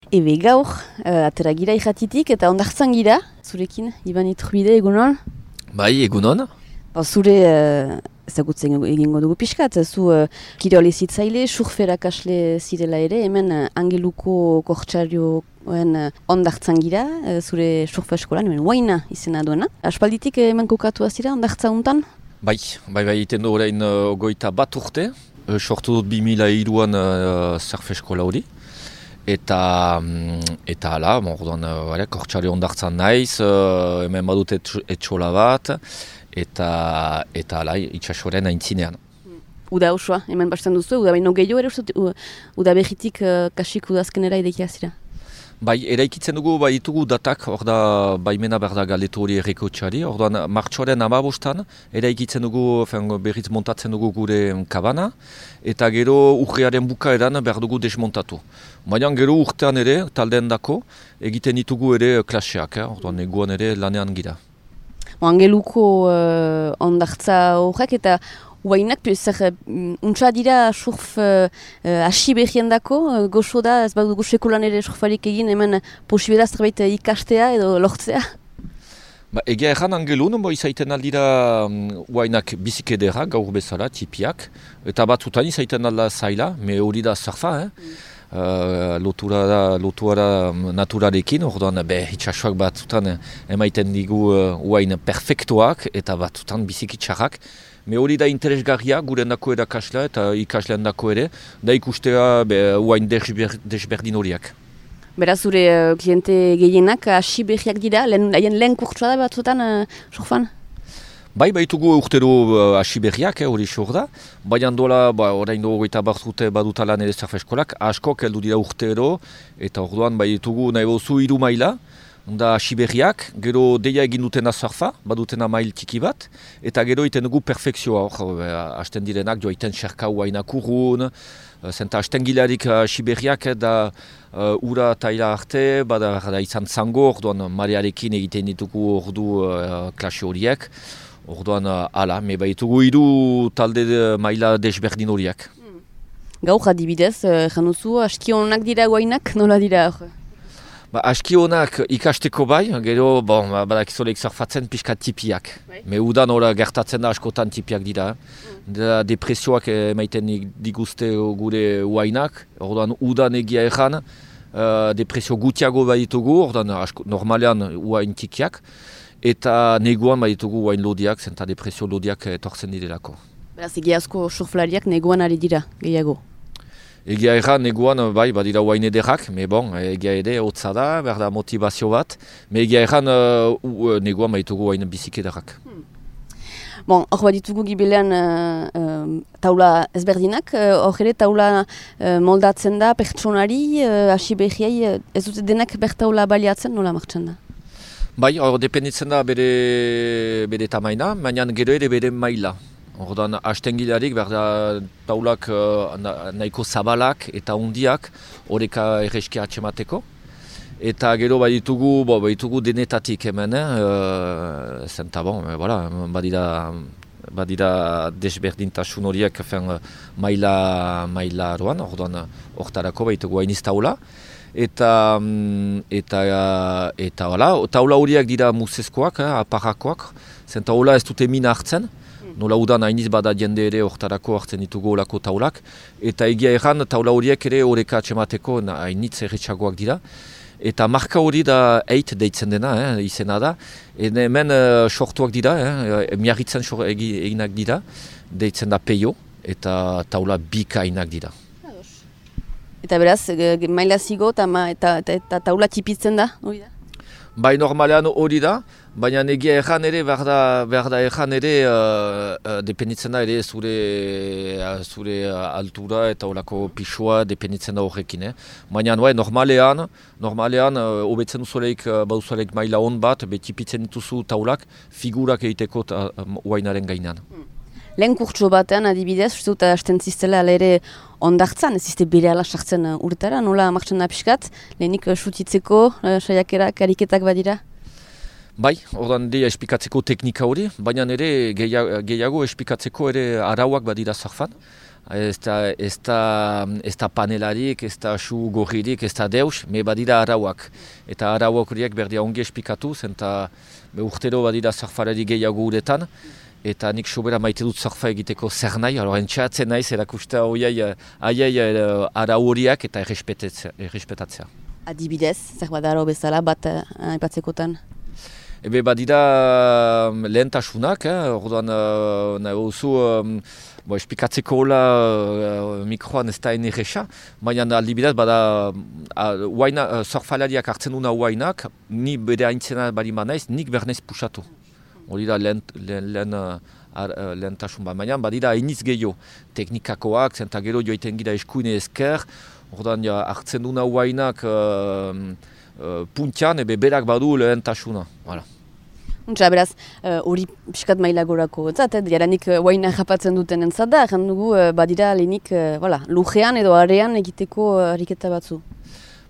Ebe gaur, atera gira ikatitik eta ondartzan gira, zurekin, Iban Iturbide, egunon? Bai, egunon. Zure ezagutzen egingo dugu pixkat, zu kirol ezitzaile, surferakasle zirela ere, hemen Angeluko kortsarioen ondartzan gira, zure surfa eskolan, hemen Huayna izena duena. Aspalditik hemen kokatua zira ondartza untan? Bai, iten du orain 21 urte, sortu dut 2003an surf eskola hori. Eta hala, orduan kortsario ondartzan naiz, hemen badut etxola bat, eta hala, itxasoren aintzinean. Uda osoa, hemen basten duzu, uda baino gehiago ere, uda behitik kasik udazkenera ideikia zira? Bai, eraikitzen dugu, bai ditugu datak, hor da, baimena behar da galdetu hori errekotxari, orduan martxoaren 15an, eraikitzen dugu, berriz montatzen dugu gure kabana, eta gero urriaren bukaeran behar dugu desmontatu. Baina gero urtean ere, taldeen dako, egiten ditugu ere klaseak, orduan eguan ere lanean gira. Angeluko ondartza horrek eta Huaynak, untsa dira surf hasi behien dako, goxo da, ez badugu sekulan ere surfarik egin, hemen posibela zerbait ikastea edo lortzea? Egia erran Angelun, izaiten aldira Huaynak bizik edera, gaur bezala, tipiak, eta batzutan izaiten alda zaila, me hori da surfa, lotuara naturarekin, orduan itxasuak batzutan emaiten digu Huain perfektuak eta batzutan biziki txarrak. Me hori da interesgarria gurendako erakasla eta ikasleandako ere, da ikustea Huain desberdin horiak. Beraz, zure kliente gehienak hasi behiak dira, lehen kurtsua da batzutan surfan? Bai, baitugu urtero hasi berriak, hori xor da. Baina dola, orain do 21 urte badutala nire surf eskolak, askok heldu dira urtero, eta orduan baitugu nahi bozu 3 maila, da hasi berriak, gero deia egin dutena surfa, badutena mail tiki bat, eta gero iten dugu perfekzioa, hasten direnak, joa iten xerka Huaynak urrun, zenta hasten gilarik hasi berriak, da ura taila arte, bada izan zango, orduan marearekin egiten ditugu ordu klase horiek, orduan ala, me baitugu 3 talde maila desberdin horiek. Gaur adibidez, januzu, aski honak dira Huaynak, nola dira hor? Aski honak ikasteko bai, gero badakizolek surfatzen pixka tipiak. Me udan hori gertatzen da askotan tipiak dira. Depresioak emaiten diguzte gure Huaynak, orduan udan egia erran, depresio gutiago baditugu, orduan normalean Huain tikiak, eta neguan baditugu Huain lodiak, zenta depresio lodiak etortzen direlako. Beraz, egiazko surflariak neguan ari dira, gehiago? Egia erran neguan, bai, badira Huain ederrak, me egia ere, hotza da, berda motivazio bat, me egia erran neguan baditugu Huain bizik ederrak. Hor baditugu gibelean taula ezberdinak, hor ere taula moldatzen da pertsonari, hasi behiai, ez dute denak bertaula baliatzen, nola martxan da? Bai, hor dependitzen da bere tamaina, baina gero ere bere maila. Ordan hastengilarik berda taulak nahiko zabalak eta hundiak horreka erreski atxemateko. Eta gero baditugu denetatik hemen, zenta badira desberdintasun horiek maila aroan, ordan hortarako baditugu hainiz taula. Eta taula horiak dira musezkoak, aparrakoak, zenta hola ez dute mina hartzen. Nola udan hainiz bada jende ere hortarako hartzen ditugu olako taulak. Eta egia erran taula horiek ere horreka atxemateko hainitz erretxagoak dira. Eta marka hori da eit deitzen dena, izena da. Hemen sortuak dira, miarritzen eginak dira, deitzen da peio eta taula bikainak dira. Eta beraz, maila zigo eta taula tipitzen da, hori da? Bai, normalean hori da, baina egia erran ere, behar da erran ere, dependitzen da ere zure altura eta olako pixua dependitzen da horrekin. Baina normalean, hobetzen duzuleik baduzuleik maila hon bat, tipitzen dituzu taulak, figurak egiteko Huainaren gainean. Lehen kurtso batean adibidez, uste dut hasten ziztela ere ondartzan, ez zizte bere ala sartzen urtara, nola martxan da pixkat, lehenik sutitzeko, saiakerak, ariketak badira? Bai, ordan deia esplikatzeko teknika hori, baina ere gehiago esplikatzeko ere arauak badira surfan. ez da panelarik, ez da su gorririk, ez da deus, me badira arauak. Eta arauak horiek berdia ongi espikatu, zenta urtero badira surfalari gehiago uretan, eta nik sobera maite dut surfa egiteko zer nahi, entxeatzen naiz erakusta horiei arau horiak eta errespetatzea. Adibidez, zer bada arau bezala bat aipatzekotan? Ebe badira lehentasunak, orduan nahi oso espikatzeko hola mikroan ez da enerresa, baina aldibidez bada surfalariak hartzen duna huainak, ni bere haintzena bari manaiz, nik bernaiz pusatu. Hori da lehentasun bat, baina badira hainiz gehiago teknikakoak, zenta gero joiten gira eskuine ezker, orduan hartzen duna huainak puntian, berak badu lehentasuna. Voilà. Untsa, beraz, hori piskat mailagorako jaranik huaina japatzen duten entzat da, dugu badira lehenik lujean edo arean egiteko ariketa batzu.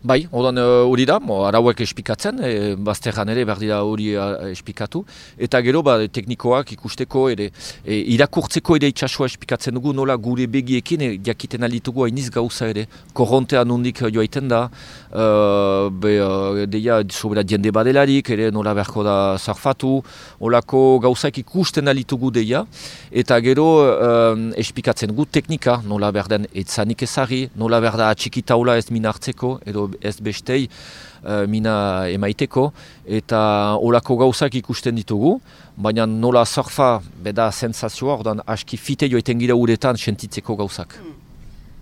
Bai, hori da, arauek espikatzen, bazterran ere berdira hori espikatu, eta gero teknikoak ikusteko ere, irakurtzeko ere itxasua espikatzen dugu, nola gure begiekin jakiten alitugu hainiz gauza ere, korrontea nondik joaiten da, deia sobera jende badelarik, ere nola beharko da surfatu, olako gauzak ikusten alitugu deia, eta gero espikatzen gu teknika, nola berden etzanik ezari, nola berda atxikitaula ez mina hartzeko, edo ez bestei mina emaiteko, eta olako gauzak ikusten ditugu, baina nola surfa beda sensazioa, ordan aski fite joiten gira uretan sentitzeko gauzak.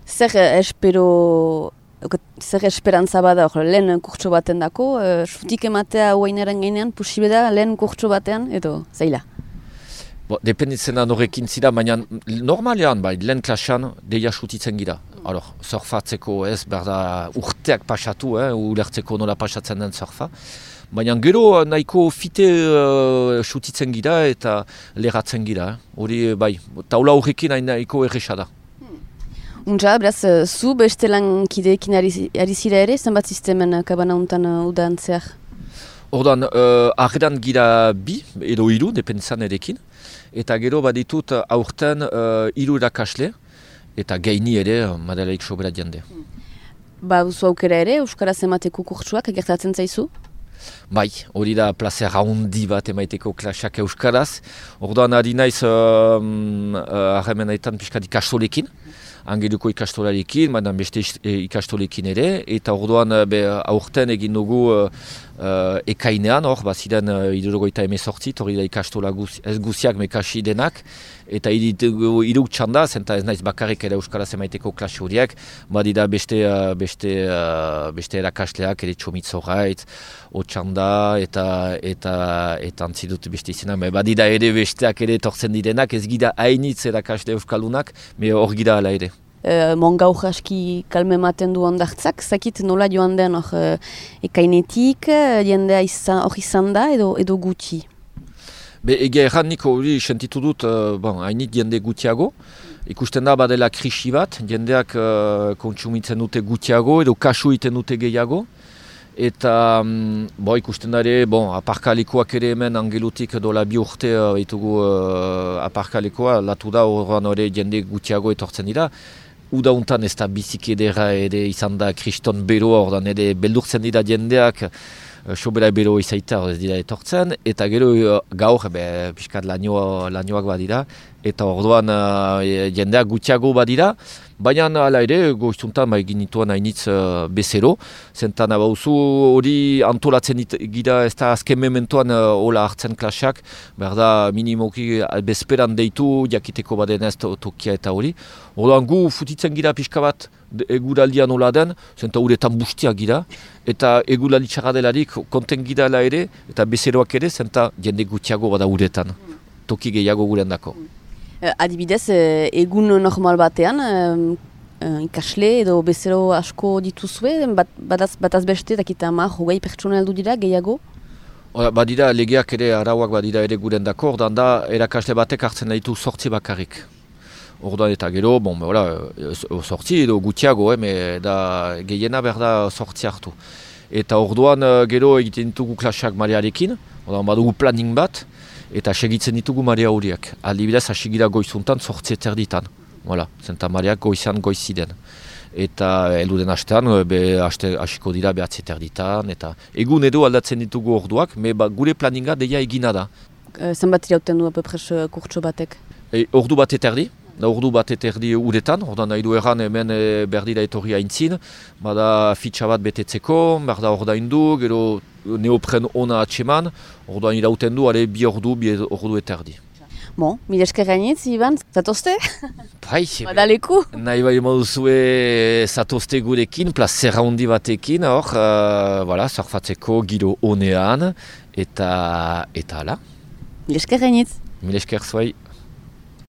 Zer esperantza bada lehen kurtso baten dako, sutik ematea huainaren gainean, posible da lehen kurtso batean, edo zaila? Dependitzen da norrekin zira, baina normalean lehen klasean deia sutitzen gira. Surfatzeko ez, berda urteak pasatu, ulertzeko nola pasatzen den surfa. Baina gero nahiko fite sutitzen gira eta leratzen gira. Hori taula horrekin nahiko erresa da. Untsa, beraz, zu beste lankideekin ari zira ere, zenbat sistemen kabana untan udantzeak? Ordan, arredan gira bi, edo hiru, dependitzen erekin. Eta gero baditut aurten 3 irakasle, eta gaini ere madelaik sobera jende. Duzu aukera ere, Euskaraz emateko kurtsuak gertatzen zaizu? Bai, hori da placer handi bat emaiteko klaseak Euskaraz. Orduan ari naiz harremenetan pixkat ikastolekin, Angeluko ikastolarekin, baina beste ikastolekin ere, eta orduan aurten egin dugu ekainean, baziren 78, hori da ikastola ez guziak mekasi denak, eta iruk txanda, zenta ez naiz bakarrik ere Euskaraz emaiteko klase horiek, badira beste erakasleak, ere Txomitzoraitz, Otxanda, eta antzidut beste izena, badira ere besteak ere tortzen direnak, ez gira hainitz erakasle Euskaldunak, hor gira ala ere. Mongaur aski kalme ematen du ondartzak, zakit nola joan den ekainetik, jendea hor izan da edo gutxi? Egia erran nik hori sentitu dut hainit jende gutxiago. Ikusten da badela krisi bat, jendeak kontsumitzen dute gutxiago edo kasu iten dute gehiago. Eta ikusten da ere, aparkalikoak ere hemen Angelutik dola 2 urte ditugu aparkalikoa, latu da horren hori jende gutxiago etortzen dira. Uda untan ez da biziki edera ere izan da kriston beroa, ordan ere beldurtzen dira jendeak, sobera bero izaita ez dira etortzen, eta gero gaur pixkat lanioak badira, eta orduan jendeak gutxiago badira, baina ala ere goizuntan egin nituen hainitz bezero, zentan abauzu hori antolatzen gira ez da azken mementoan hola hartzen klaseak, berda minimoki bezperan deitu jakiteko baden ez tokia eta hori. Orduan gu futitzen gira pixka bat eguraldian hola den, zenta uretan bustia gira, eta eguraldi txarra delarik konten gira ala ere, eta bezeroak ere, zenta jende gutxiago bada uretan, toki gehiago guren dako. Adibidez, egun normal batean, ikasle edo bezero asko dituzue, bataz beste, dakita 10 pertsona heldu dira, gehiago? Badira legeak ere, arauak badira ere guren dako, ordan da, erakasle batek hartzen ditu 8 bakarrik. Orduan eta gero, 8 edo gutxiago, da gehiena berda 8 hartu. Eta orduan gero egiten ditugu klaseak marearekin, orduan badugu planning bat, eta segitzen ditugu marea horiek. Aldibidez, hasi gira goizuntan 8 erditan. Voilà, Santa Mariak goizan goiziden. Eta elduden astean, hasiko dira 9:30, eta egun edo aldatzen ditugu orduak, gure planinga deia egina da. Zenbat irauten du apepres kurtso batek? Ordu bat eterdi. Ordu bat eterdi uretan, ordan nahi du erran hemen berdira etorri haintzin, bada fitxa bat betetzeko, berda ordaindu, gero neopren ona atseman, orduan irauten du, 2 ordu eterdi. Bon, mil esker gainitz, Iban, zatozte? Bai, badaleku? Nahi bai moduzue zatozte gurekin, plazera handi batekin, surfatzeko giro honean, eta ala. Mil esker gainitz? Mil esker zuai.